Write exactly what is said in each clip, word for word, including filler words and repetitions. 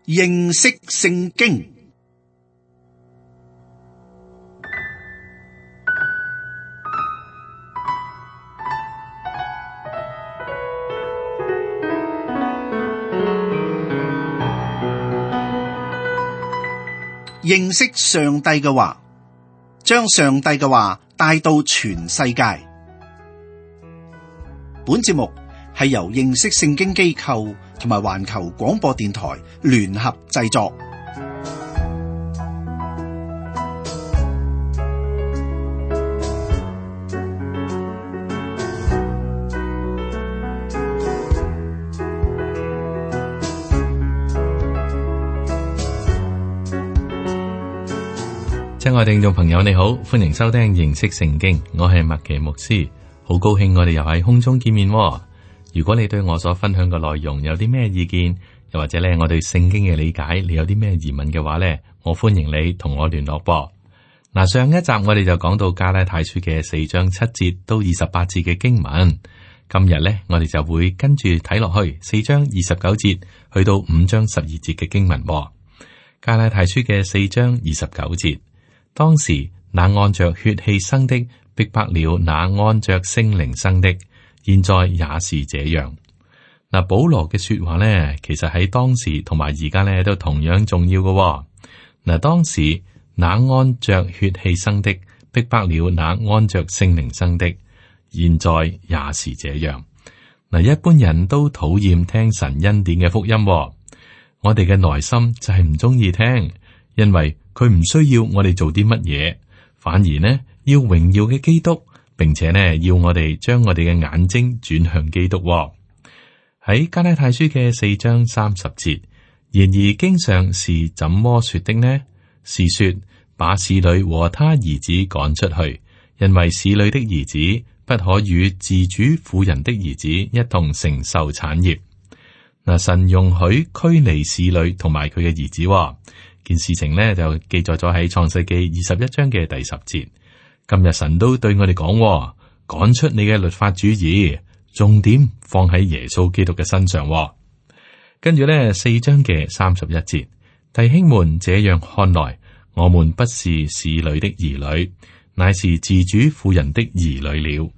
認識聖經。認識上帝嘅話，將上帝嘅話帶到全世界。本節目係由認識聖經機構同埋環球廣播電台聯合製作。親愛聽眾朋友，你好，歡迎收聽認識聖經，我係麥奇牧師，好高興我哋又喺空中見面。如果你對我所分享嘅內容有啲咩意見，又或者咧我對聖經嘅理解，你有啲咩疑問嘅話咧，我歡迎你同我聯絡噃。嗱，上一集我哋就講到加拉太書嘅四章七節到二十八節嘅經文，今日咧我哋就會跟住睇落去四章二十九節去到五章十二節嘅經文。加拉太書嘅四章二十九節。當時那按着血氣生的逼迫了那按着聖靈生的，現在也是這樣。嗱，保羅嘅說話呢，其實喺當時同埋而家呢都同樣重要嘅。嗱，當時那按着血氣生的逼迫了那按着聖靈生的，現在也是這樣。嗱，一般人都討厭聽神恩典嘅福音，我哋嘅內心就係唔中意聽，因為佢唔需要我哋做啲乜嘢，反而呢要榮耀嘅基督，並且呢要我哋將我哋嘅眼睛轉向基督。喺加拉太書嘅四章三十節，然而經上是怎麼說的呢？是說把使女和他兒子趕出去，因為使女的兒子不可與自主婦人的兒子一同承受產業。嗱，神容許驅離使女同埋佢嘅兒子。件事情呢就記載咗喺創世記二十一章嘅第十節。今日神都對我哋講，趕出你嘅律法主義，重點放喺耶穌基督嘅身上。跟住呢四章嘅三十一節，弟兄們，這樣看來，我們不是使女的兒女，乃是自主婦人的兒女了。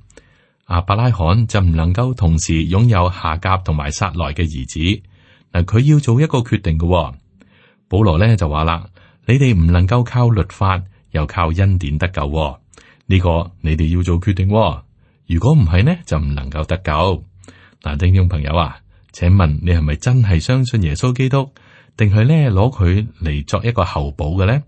亞伯拉罕就唔能夠同時擁有夏甲同埋撒萊嘅兒子。嗱，佢要做一個決定嘅。保羅咧就話啦，你哋唔能夠靠律法，又靠恩典得救，呢、這個你哋要做決定。如果唔係呢，就唔能夠得救。嗱，聽眾朋友啊，請問你係咪真係相信耶穌基督，定係咧攞佢嚟作一個後補嘅咧？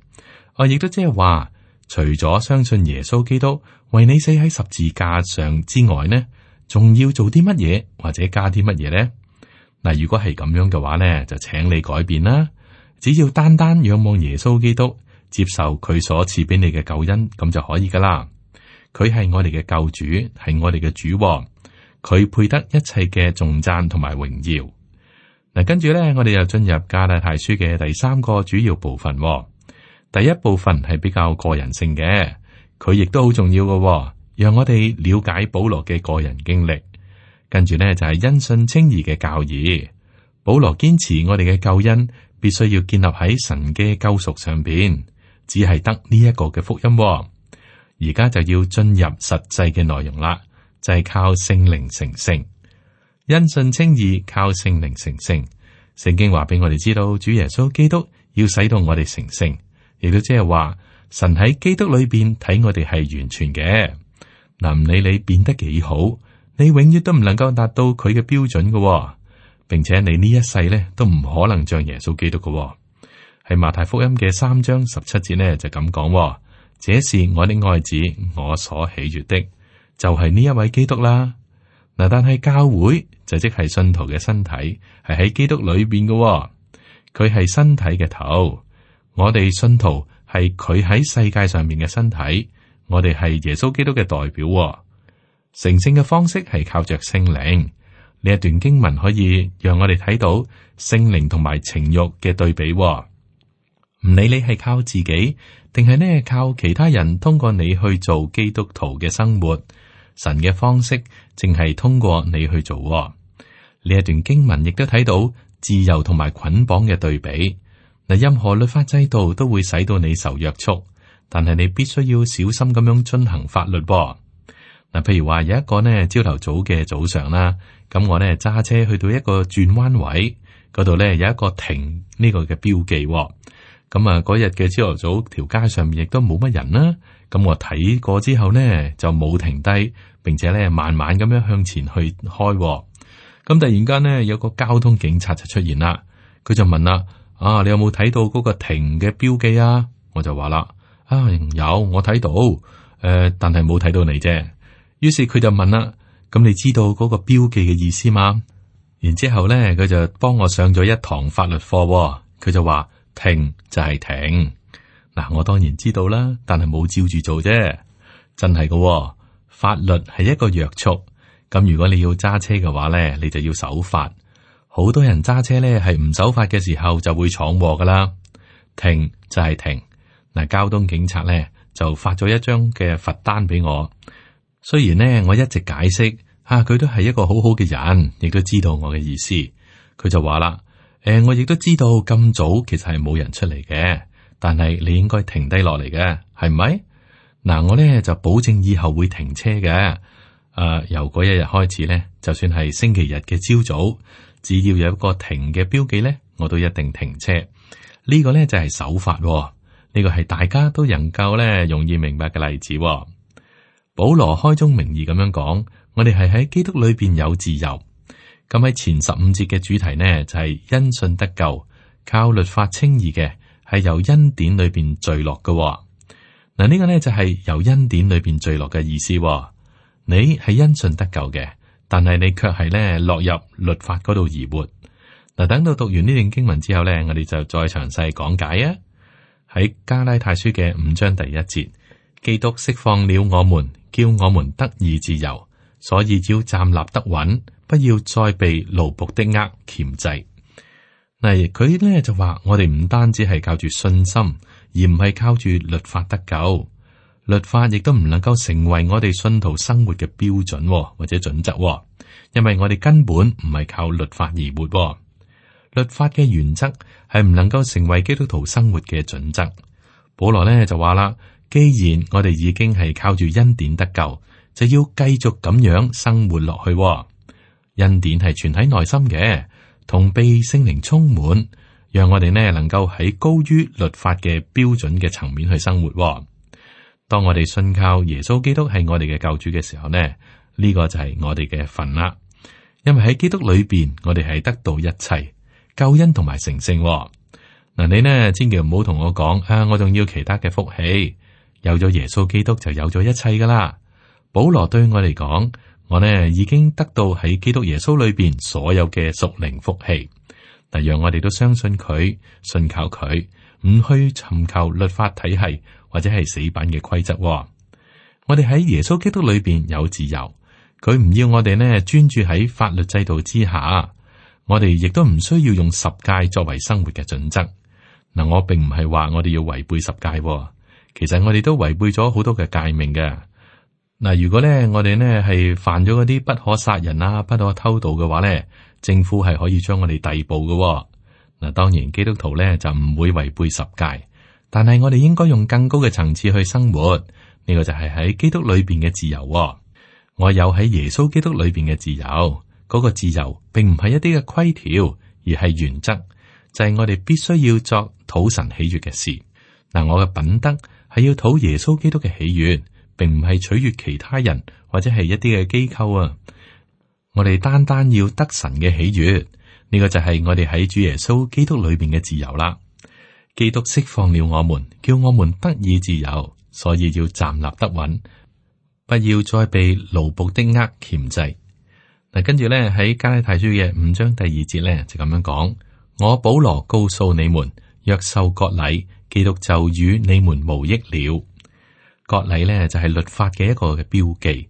我亦都即係話，除咗相信耶穌基督為你死喺十字架上之外呢，仲要做啲乜嘢或者加啲乜嘢咧？嗱，如果係咁樣嘅話咧，就請你改變啦。只要單單仰望耶穌基督，接受佢所賜俾你嘅救恩，咁就可以噶啦。佢係我哋嘅救主，係我哋嘅主，佢配得一切嘅頌讚同埋榮耀。嗱，跟住咧，我哋又進入加拉太書嘅第三個主要部分。第一部分係比較個人性嘅，佢亦都好重要嘅，讓我哋了解保羅嘅個人經歷。跟住咧就係因信稱義嘅教義。保羅堅持我哋嘅救恩必須要建立喺神嘅救贖上邊，只係得呢一個嘅福音。而家就要進入實際嘅內容啦，就係、是、靠聖靈成聖，因信稱義，靠聖靈成聖。聖經話俾我哋知道，主耶穌基督要使到我哋成聖，亦都即係話神喺基督裏邊睇我哋係完全嘅。嗱，唔理你變得幾好，你永遠都唔能夠達到佢嘅標準嘅。並且你呢一世咧都唔可能像耶穌基督嘅。喺馬太福音嘅三章十七節呢就咁講，這是我的愛子，我所喜悅的，就係呢一位基督啦。嗱，但係教會就即係信徒嘅身體，係喺基督裏邊嘅，佢係身體嘅頭。我哋信徒係佢喺世界上面嘅身體，我哋係耶穌基督嘅代表。成聖嘅方式係靠着聖靈。呢一段經文可以讓我哋睇到聖靈同埋情慾嘅對比。唔理你係靠自己，定係呢靠其他人通過你去做基督徒嘅生活，神嘅方式淨係通過你去做。呢一段經文亦都睇到自由同埋捆綁嘅對比。嗱，任何律法制度都會使到你受約束，但係你必須要小心咁樣遵行法律。嗱，譬如話有一個呢朝頭早嘅早上啦，咁我呢揸車去到一個轉彎位嗰度呢，有一個停呢個嘅標記。咁啊，嗰日嘅朝頭早條街上面亦都冇乜人啦。咁我睇過之後呢，就冇停低，並且呢慢慢咁樣向前去開。咁突然間呢，有個交通警察就出現啦，佢就問啦：啊，你有冇睇到嗰個停嘅標記啊？我就話啦：啊，有，我睇到，誒、呃，但係冇睇到你啫。於是佢就問啦：咁你知道嗰個標記嘅意思嗎？然之後咧，佢就幫我上咗一堂法律課。佢就話：停就係停。嗱，我當然知道啦，但係冇照住做啫。真係㗎，法律係一個約束。咁如果你要揸車嘅話咧，你就要守法。好多人揸車咧係唔守法嘅時候就會闖禍噶啦。停就係停。嗱，交通警察咧就發咗一張嘅罰單俾我。雖然呢，我一直解釋吓，佢都係一個好好嘅人，亦都知道我嘅意思。佢就話啦：誒、呃，我亦都知道咁早其實係冇人出嚟嘅，但係你應該停低落嚟嘅，係咪？嗱，我咧就保證以後會停車嘅。誒、呃，由嗰一日開始咧，就算係星期日嘅朝早，只要有一個停嘅標記咧，我都一定停車。呢、這個咧就係守法，呢、這個係大家都能夠咧容易明白嘅例子。保羅開宗明義咁樣講，我哋係喺基督裏邊有自由。咁喺前十五節嘅主題呢，就係、是、因信得救，靠律法稱義嘅係由恩典裏邊墜落嘅。嗱，呢個呢，就係由恩典裏邊墜落嘅意思。你係因信得救嘅，但係你卻係咧落入律法嗰度而活。嗱，等到讀完呢段經文之後呢，我哋就再詳細講解啊。喺加拉太書嘅五章第一節，基督釋放了我們，叫我們得以自由，所以要站立得穩，不要再被奴僕的軛鉗制。嗱，佢咧就話我哋唔單止係靠住信心，而唔係靠住律法得救。律法亦都唔能夠成為我哋信徒生活嘅標準或者準則，因為我哋根本唔係靠律法而活。律法嘅原則係唔能夠成為基督徒生活嘅準則。保羅咧就話啦，既然我哋已經係靠住恩典得救，就要繼續咁樣生活落去。恩典係存喺內心嘅，同被聖靈充滿，讓我哋呢能夠喺高於律法嘅標準嘅層面去生活。當我哋信靠耶穌基督係我哋嘅救主嘅時候呢，呢、呢個就係我哋嘅份啦。因為喺基督裏邊，我哋係得到一切救恩同埋成聖。嗱，你呢千祈唔好同我講啊，我仲要其他嘅福氣。有咗耶穌基督就有咗一切噶啦。保羅對我嚟講，我呢已經得到喺基督耶穌裏邊所有嘅屬靈福氣。嗱，讓我哋都相信佢，信靠佢，唔去尋求律法體系或者係死板嘅規則。我哋喺耶穌基督裏邊有自由，佢唔要我哋呢專注喺法律制度之下。我哋亦都唔需要用十誡作為生活嘅準則。嗱，我並唔係話我哋要違背十誡，其實我哋都違背咗好多嘅誡命嘅。嗱，如果咧我哋呢係犯咗嗰啲不可殺人啊、不可偷盜嘅話咧，政府係可以將我哋逮捕嘅。嗱，當然基督徒咧就唔會違背十誡，但係我哋應該用更高嘅層次去生活。呢個就係喺基督裏邊嘅自由。我有喺耶穌基督裏邊嘅自由。嗰個自由並唔係一啲嘅規條，而係原則，就係我哋必須要作討神喜悅嘅事。嗱，我嘅品德係要討耶穌基督嘅喜悅，並唔係取悅其他人或者係一啲嘅機構啊。我哋單單要得神嘅喜悅，呢個就係我哋喺主耶穌基督裏邊嘅自由啦。基督釋放了我們，叫我們得以自由，所以要站立得穩，不要再被奴僕的軛鉗制。嗱，跟住咧喺加拉太書嘅五章第二節咧就咁樣講：我保羅告訴你們，若受割禮，基督就與你們無益了。割禮咧就係律法嘅一個嘅標記，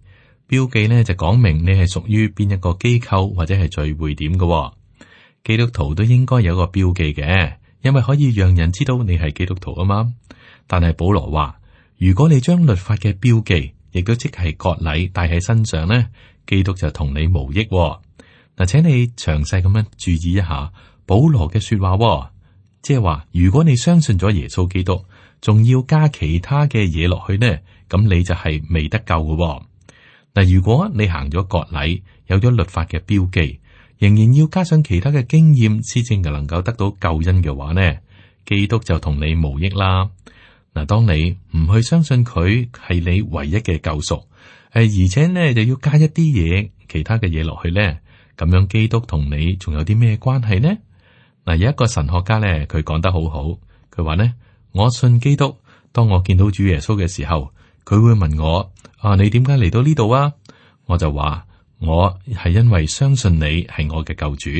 標記咧就講明你係屬於邊一個機構或者係聚會點嘅。基督徒都應該有一個標記嘅，因為可以讓人知道你係基督徒啊嘛。但係保羅話，如果你將律法嘅標記，亦都即係割禮帶喺身上咧，基督就同你無益。嗱，請你詳細咁樣注意一下保羅嘅說話喎，即係話如果你相信咗耶穌基督，仲要加其他嘅嘢落去呢，咁你就係未得救嘅喎。嗱，如果你行咗割禮，有咗律法嘅標記，仍然要加上其他嘅經驗，先至能夠得到救恩嘅話呢，基督就同你無益啦。嗱，當你唔去相信佢係你唯一嘅救贖，誒，而且呢就要加一啲嘢，其他嘅嘢落去呢，咁樣基督同你仲有啲咩關係呢？嗱，有一個神學家呢，佢講得好好，佢話呢：我信基督，當我見到主耶穌嘅時候，佢會問我：啊，你點解嚟到呢度啊？我就話：我係因為相信你係我嘅救主。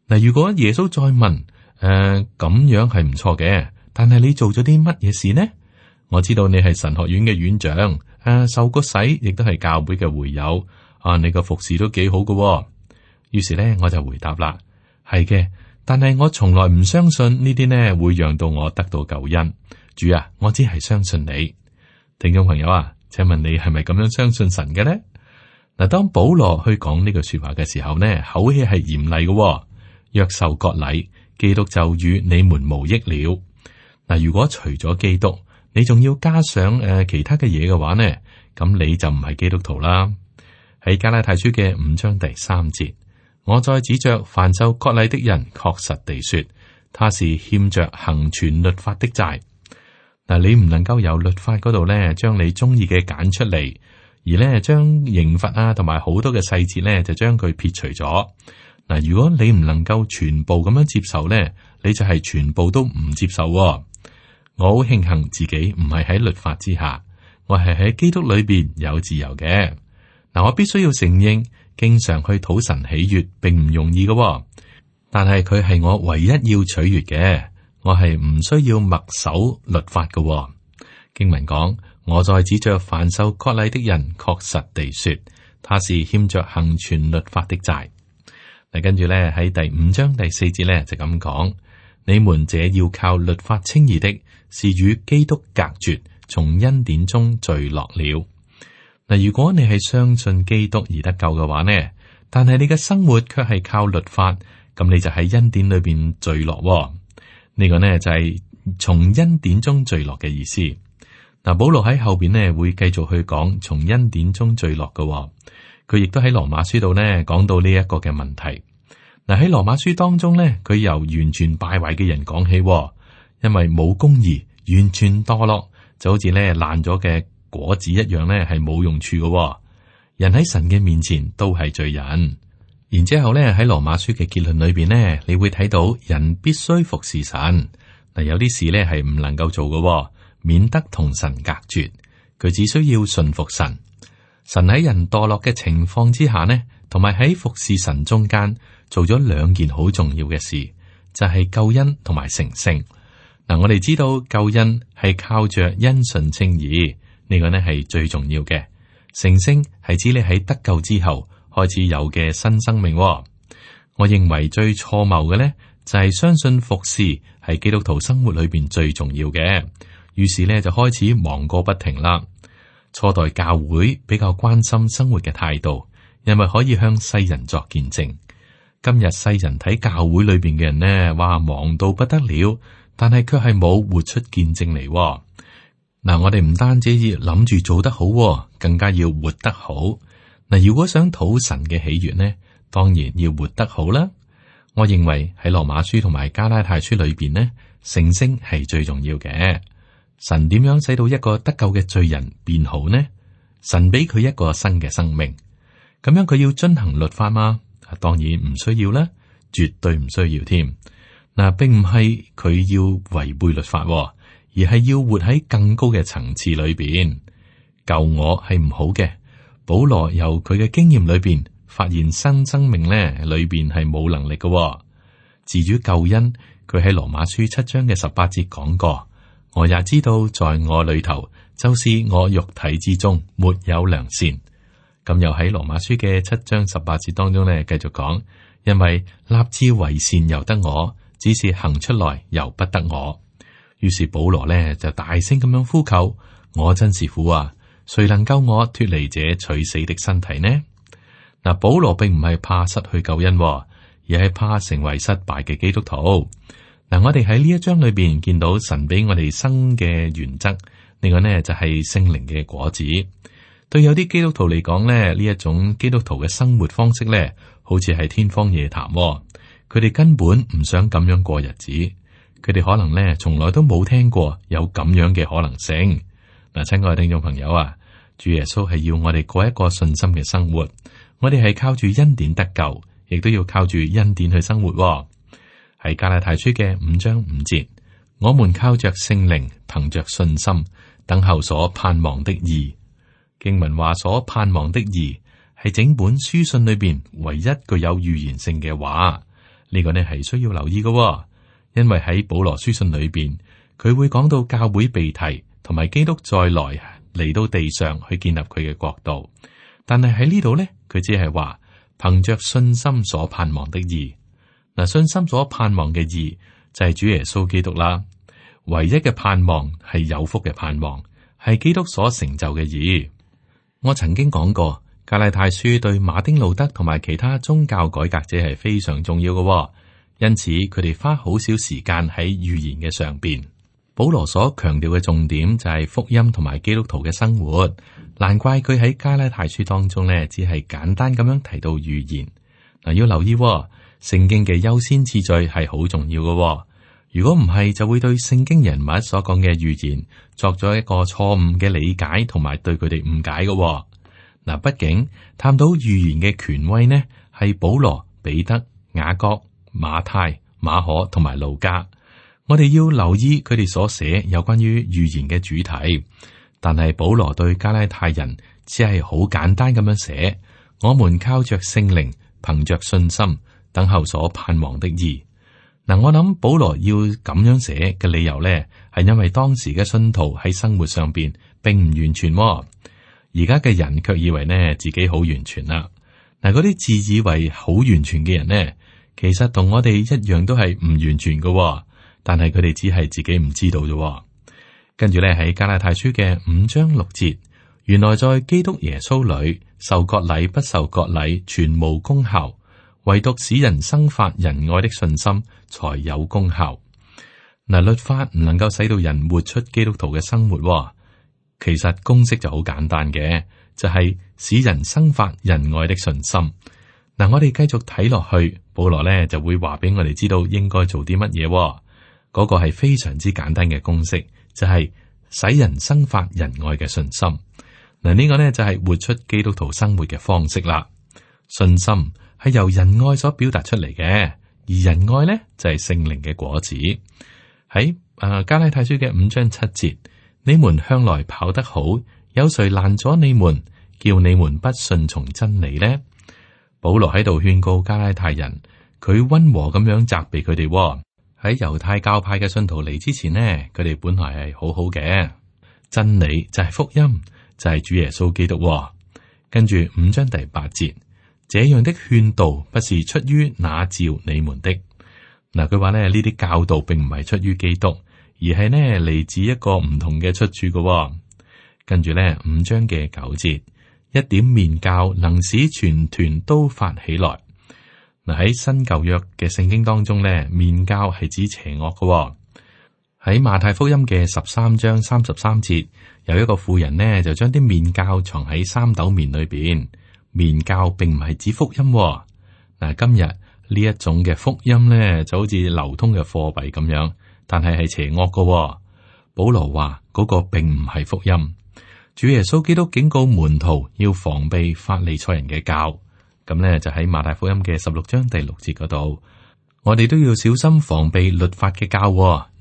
嗱，如果耶穌再問：誒、呃，咁樣係唔錯嘅。但係你做咗啲乜嘢事呢？我知道你係神學院嘅院長，誒、啊，受過洗，亦都係教會嘅會友，啊，你個服侍都幾好㗎喎。於是咧，我就回答啦，係嘅，但係我從來唔相信呢啲呢會讓到我得到救恩。主啊，我只係相信你。聽眾朋友啊，請問你係咪咁樣相信神嘅呢？嗱，當保羅去講呢句說話嘅時候呢，口氣係嚴厲嘅喎。若受割禮，基督就與你們無益了。嗱，如果除咗基督，你仲要加上誒、呃、其他嘅嘢嘅話呢，咁你就唔係基督徒啦。喺加拉太書嘅五章第三節，我再指着凡受割禮的人，確實地說，他是欠着行全律法的債。嗱，你唔能夠由律法嗰度咧，將你中意嘅揀出嚟，而咧將刑罰啊同埋好多嘅細節咧，就將佢撇除咗。嗱，如果你唔能夠全部咁樣接受咧，你就係全部都唔接受喎。我好慶幸自己唔係喺律法之下，我係喺基督裏邊有自由嘅。嗱，我必須要承認，經常去討神喜悅並唔容易嘅喎，但係佢係我唯一要取悅嘅，我係唔需要默守律法嘅喎。經文講，我再指着凡受割禮的人，確實地說，他是欠着行全律法的債。嗱，跟住咧喺第五章第四節咧就咁講，你們這要靠律法稱義的，是與基督隔絕，從恩典中墜落了。嗱，如果你係相信基督而得救嘅話呢，但係你嘅生活卻係靠律法，咁你就喺恩典裏邊墜落喎。呢個呢就係從恩典中墜落嘅意思。嗱，保羅喺後邊呢會繼續去講從恩典中墜落嘅喎。佢亦都喺羅馬書度呢講到呢一個嘅問題。嗱，喺羅馬書當中呢，佢由完全敗壞嘅人講起，因為冇公義，完全墮落，就好似咧爛咗嘅果子一樣咧，係冇用處嘅。人喺神嘅面前都係罪人。然之後咧喺羅馬書嘅結論裏邊呢，你會睇到人必須服侍神。嗱，有啲事咧係唔能夠做嘅，免得同神隔絕。佢只需要順服神。神喺人墮落嘅情況之下呢，同埋喺服侍神中間做咗兩件好重要嘅事，就係救恩同埋成聖。嗱，我哋知道救恩係靠着因信稱義，呢個呢係最重要嘅。成聖係指你喺得救之後開始有嘅新生命。我認為最錯謬嘅呢，就係相信服侍係基督徒生活裏邊最重要嘅，於是呢，就開始忙個不停啦。初代教會比較關心生活嘅態度，因為可以向世人作見證。今日世人睇教會裏邊嘅人呢，話忙到不得了，但係卻係冇活出見證嚟。嗱，我哋唔單止要諗住做得好，更加要活得好。嗱，如果想討神嘅喜悅呢，當然要活得好啦。我認為喺羅馬書同埋加拉太書裏邊呢，成聖係最重要嘅。神點樣使到一個得救嘅罪人變好呢？神俾佢一個新嘅生命，咁樣佢要遵行律法嗎？當然唔需要啦，絕對唔需要添。嗱，並唔係佢要違背律法，而係要活喺更高嘅層次裏邊。救我係唔好嘅。保羅由佢嘅經驗裏邊發現新生命咧，裏邊係冇能力嘅。至於救恩，佢喺羅馬書七章嘅十八節講過。我也知道，在我裏頭，就是我肉體之中沒有良善。咁又喺羅馬書嘅七章十八節當中呢，繼續講，因為立志為善由得我，只是行出來由不得我。於是保羅呢就大聲咁樣呼求：我真是苦啊！誰能救我脱離這取死的身體呢？嗱，保羅並唔係怕失去救恩，而而係怕成為失敗嘅基督徒。嗱，我哋喺呢一章裏邊見到神俾我哋生嘅原則，呢個呢就係聖靈嘅果子。對有啲基督徒嚟講咧，呢一種基督徒嘅生活方式咧，好似係天方夜譚。佢哋根本唔想咁樣過日子，佢哋可能咧從來都冇聽過有咁樣嘅可能性。嗱，親愛嘅聽眾朋友啊，主耶穌係要我哋過一個信心嘅生活，我哋係靠住恩典得救，亦都要靠住恩典去生活。喺加拉太書嘅五章五節，我們靠着聖靈，憑着信心，等候所盼望的義。經文話所盼望的義係整本書信裏邊唯一具有預言性嘅話，呢個呢係需要留意嘅，因為喺保羅書信裏邊，佢會講到教會被提，同埋基督再來嚟到地上去建立佢嘅國度。但係喺呢度呢，佢只係話憑着信心所盼望的義。嗱，信心所盼望嘅義就係主耶穌基督啦。唯一嘅盼望係有福嘅盼望，係基督所成就嘅義。我曾經講過，加拉太書對馬丁路德同埋其他宗教改革者係非常重要嘅，因此佢哋花好少時間喺預言嘅上邊。保羅所強調嘅重點就係福音同埋基督徒嘅生活，難怪佢喺加拉太書當中呢，只係簡單咁樣提到預言。嗱，要留意聖經嘅優先次序係好重要嘅，如果唔係，就會對聖經人物所講嘅預言作咗一個錯誤嘅理解，同埋對佢哋誤解嘅。嗱，畢竟探討預言嘅權威呢，係保羅、彼得、雅各、馬太、馬可同埋路加。我哋要留意佢哋所寫有關於預言嘅主題，但係保羅對加拉太人只係好簡單咁樣寫：我們靠着聖靈，憑着信心，等候所盼望的義。嗱，我諗保羅要咁樣寫嘅理由咧，係因為當時嘅信徒喺生活上邊並唔完全，而家嘅人卻以為呢自己好完全啦。嗱，嗰啲自以為好完全嘅人呢，其實同我哋一樣都係唔完全嘅，但係佢哋只係自己唔知道啫。跟住咧喺加拉太書嘅五章六節，原來在基督耶穌裏受割禮不受割禮全無功效，唯獨使人生發仁愛的信心才有功效。嗱，律法唔能夠使到人活出基督徒嘅生活，其實公式就好簡單嘅，就係使人生發仁愛的信心。嗱，我哋繼續睇落去，保羅咧就會話俾我哋知道應該做啲乜嘢。嗰個係非常之簡單嘅公式，就係使人生發仁愛嘅信心。嗱，呢個呢就係活出基督徒生活嘅方式啦。信心係由仁愛所表達出嚟嘅，而仁愛呢就係聖靈嘅果子。喺啊加拉太書嘅五章七節，你們向來跑得好，有誰攔咗你們，叫你們不順從真理呢？保羅喺度勸告加拉太人，佢溫和咁樣責備佢哋。喺猶太教派嘅信徒嚟之前呢，佢哋本來係好好嘅，真理就係福音，就係主耶穌基督。跟住五章第八節，這樣的勸導不是出於那召你們的。嗱，佢話咧呢啲教導並唔係出於基督，而係呢嚟自一個唔同嘅出處嘅。跟住咧五章嘅九節，一點麵酵能使全團都發起來。嗱，喺新舊約嘅聖經當中咧，麵酵係指邪惡嘅。喺馬太福音嘅十三章三十三節，有一個婦人呢就將啲麵酵藏喺三斗麵裏邊。麵酵並唔係指福音。嗱，今日呢一種嘅福音咧就好似流通嘅貨幣咁樣，但係係邪惡嘅。保羅話嗰個並唔係福音。主耶穌基督警告門徒要防備法利賽人嘅教。咁咧就喺馬太福音嘅十六章第六節嗰度，我哋都要小心防備律法嘅教，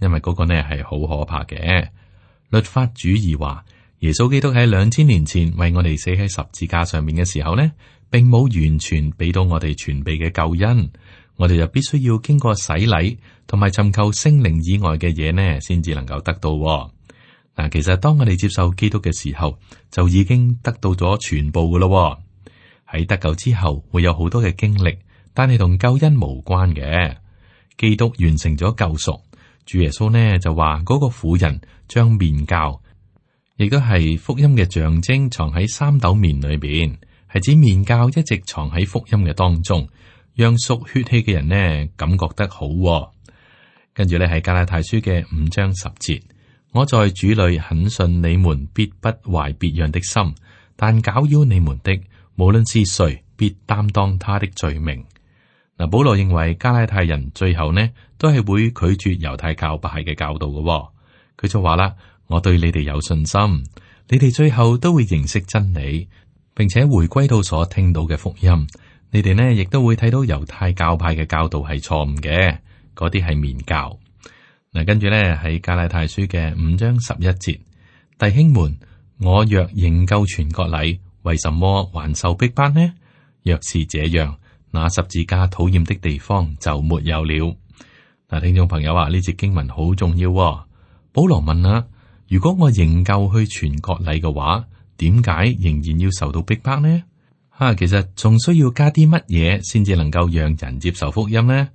因為嗰個呢係好可怕嘅。律法主義話，耶穌基督喺兩千年前為我哋死喺十字架上面嘅時候呢，並冇完全俾到我哋全備嘅救恩，我哋就必須要經過洗禮同埋尋求聖靈以外嘅嘢呢，先至能夠得到。嗱，其實當我哋接受基督嘅時候，就已經得到咗全部噶咯。喺得救之後會有好多嘅經歷，但係同救恩無關嘅。基督完成咗救贖，主耶穌呢就話嗰個婦人將麵酵，亦都係福音嘅象徵，藏喺三斗麵裏邊，係指麵酵一直藏喺福音嘅當中，讓屬血氣嘅人呢感覺得好、哦。跟住咧係加拉太書嘅五章十節，我在主裏很信你們必不懷別樣的心，但攪擾你們的，無論是誰，必擔當他的罪名。嗱，保羅認為加拉太人最後呢都係會拒絕猶太教派嘅教導嘅、哦。佢就話啦：我對你哋有信心，你哋最後都會認識真理，並且回歸到所聽到嘅福音。你哋呢亦都會睇到猶太教派嘅教導係錯誤嘅。嗰啲係麵教。嗱，跟住咧喺加拉太書嘅五章十一節，弟兄們，我若仍舊傳割禮，為什麼還受逼迫呢？若是這樣，那十字架討厭的地方就沒有了。嗱，聽眾朋友啊，呢節經文好重要、哦。保羅問啊，如果我仍舊去傳割禮嘅話，點解仍然要受到逼迫呢？吓、啊，其實仲需要加啲乜嘢先至能夠讓人接受福音呢？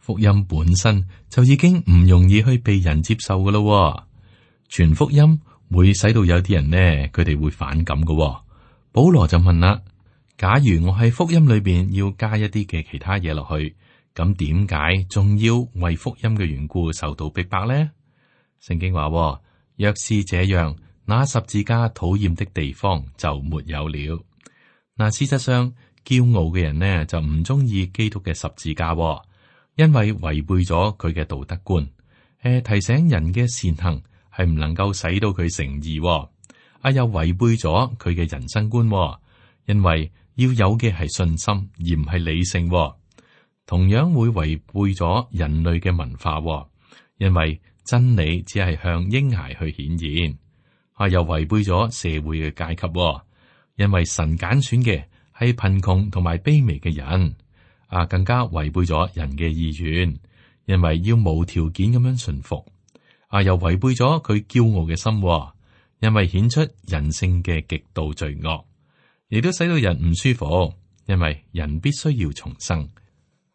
福音本身就已經唔容易去被人接受噶咯，傳福音會使到有啲人呢，佢哋會反感噶。保羅就問啦：假如我喺福音裏邊要加一啲嘅其他嘢落去，咁點解仲要為福音嘅緣故受到逼迫呢？聖經話：若是這樣，那十字架討厭的地方就沒有了。嗱，事實上，驕傲嘅人呢就唔中意基督嘅十字架。因為違背咗佢嘅道德觀，誒，提醒人嘅善行係唔能夠使到佢成義，啊又違背咗佢嘅人生觀，因為要有嘅係信心而唔係理性，同樣會違背咗人類嘅文化，因為真理只係向嬰孩去顯現，啊又違背咗社會嘅階級，因為神揀選嘅係貧窮同埋卑微嘅人。啊，更加違背咗人嘅意願，因為要無條件咁樣順服。啊，又違背咗佢驕傲嘅心，因為顯出人性嘅極度罪惡，亦都使到人唔舒服。因為人必須要重生。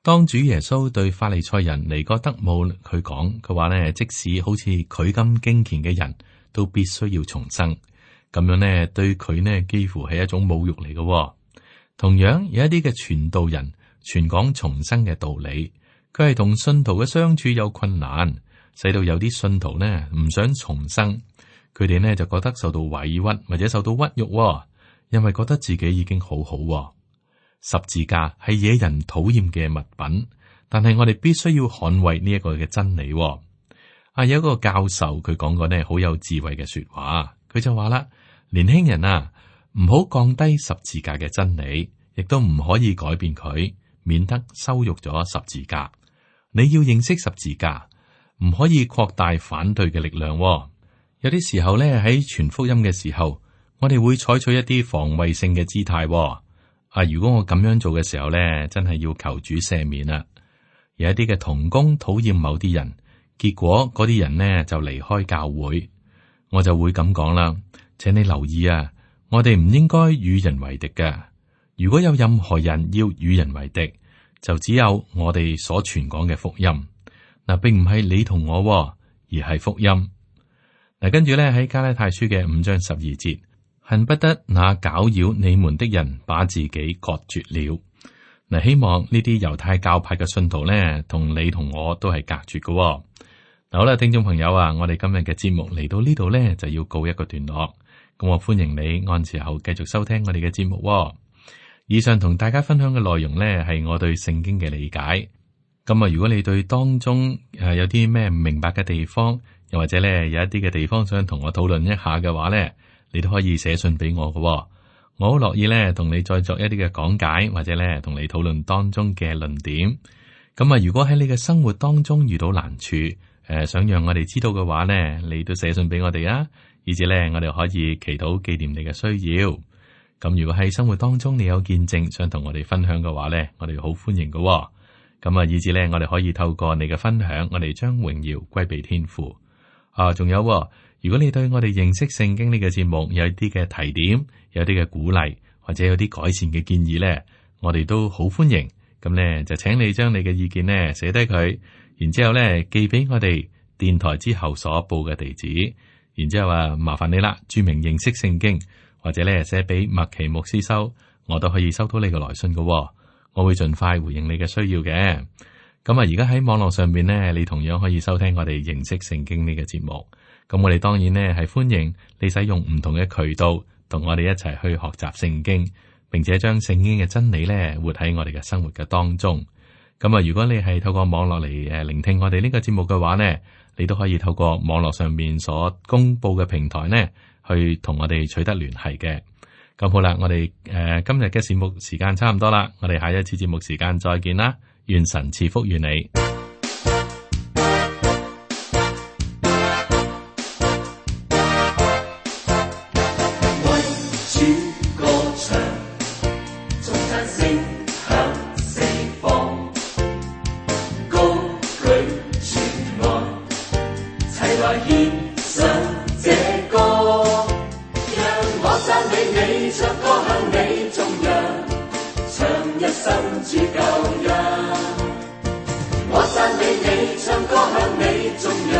當主耶穌對法利賽人尼哥德慕佢講，佢話呢，即使好似佢咁敬虔嘅人都必須要重生。咁樣呢，對佢呢幾乎係一種侮辱嚟嘅。同樣有一啲嘅傳道人。傳講重生嘅道理，佢係同信徒嘅相處有困難，使到有啲信徒呢唔想重生，佢哋呢就覺得受到委屈或者受到屈辱，因為覺得自己已經好好。十字架係惹人討厭嘅物品，但係我哋必須要捍衛呢一個嘅真理。啊，有一個教授佢講過呢好有智慧嘅說話，佢就話啦：年輕人啊，唔好降低十字架嘅真理，亦都唔可以改變佢。免得羞辱咗十字架，你要認識十字架，唔可以擴大反對嘅力量。有啲時候咧，喺傳福音嘅時候，我哋會採取一啲防衛性嘅姿態。啊，如果我咁樣做嘅時候咧，真係要求主赦免啦。有一啲嘅同工討厭某啲人，結果嗰啲人呢就離開教會，我就會咁講啦，請你留意啊，我哋唔應該與人為敵嘅。如果有任何人要與人為敵，就只有我哋所傳講嘅福音。嗱，並唔係你同我，而係福音。嗱，跟住咧喺加拉太書嘅五章十二節，恨不得那攪擾你們的人把自己割絕了。嗱，希望呢啲猶太教派嘅信徒咧，同你同我都係隔絕嘅。嗱，好啦，聽眾朋友啊，我哋今日嘅節目嚟到呢度咧，就要告一個段落。咁我歡迎你按時候繼續收聽我哋嘅節目。以上同大家分享嘅內容呢，係我對聖經嘅理解。咁啊，如果你對當中誒有啲咩唔明白嘅地方，又或者咧有一啲嘅地方想同我討論一下嘅話呢，你都可以寫信俾我嘅。我好樂意咧同你再作一啲嘅講解，或者咧同你討論當中嘅論點。咁啊，如果喺你嘅生活當中遇到難處，誒、呃、想讓我哋知道嘅話呢，你都寫信俾我哋啊，以至咧我哋可以祈禱紀念你嘅需要。咁如果喺生活當中你有見證想同我哋分享嘅話咧，我哋好歡迎嘅、哦。咁啊，以至咧我哋可以透過你嘅分享，我哋將榮耀歸俾天父。啊，仲有、哦，如果你對我哋認識聖經呢個節目有啲嘅提點，有啲嘅鼓勵，或者有啲改善嘅建議咧，我哋都好歡迎。咁咧就請你將你嘅意見咧寫低佢，然之後咧寄俾我哋電台之後所報嘅地址。然之後啊，麻煩你啦，注明認識聖經。或者咧寫俾麥奇牧師收，我都可以收到你嘅來信嘅、哦。我會盡快回應你嘅需要嘅。咁啊，而家喺網絡上面呢，你同樣可以收聽我哋認識聖經呢個節目。咁我哋當然呢係歡迎你使用唔同嘅渠道，同我哋一齊去學習聖經，並且將聖經嘅真理呢活喺我哋嘅生活嘅當中。咁啊，如果你係透過網絡嚟誒聆聽我哋呢個節目嘅話呢，你都可以透過網絡上面所公布嘅平台呢，去同我哋取得聯繫嘅。咁好啦，我哋誒、呃、今日嘅節目時間差唔多啦，我哋下一次節目時間再見啦，願神賜福於你。我讚美你，唱歌向你頌揚。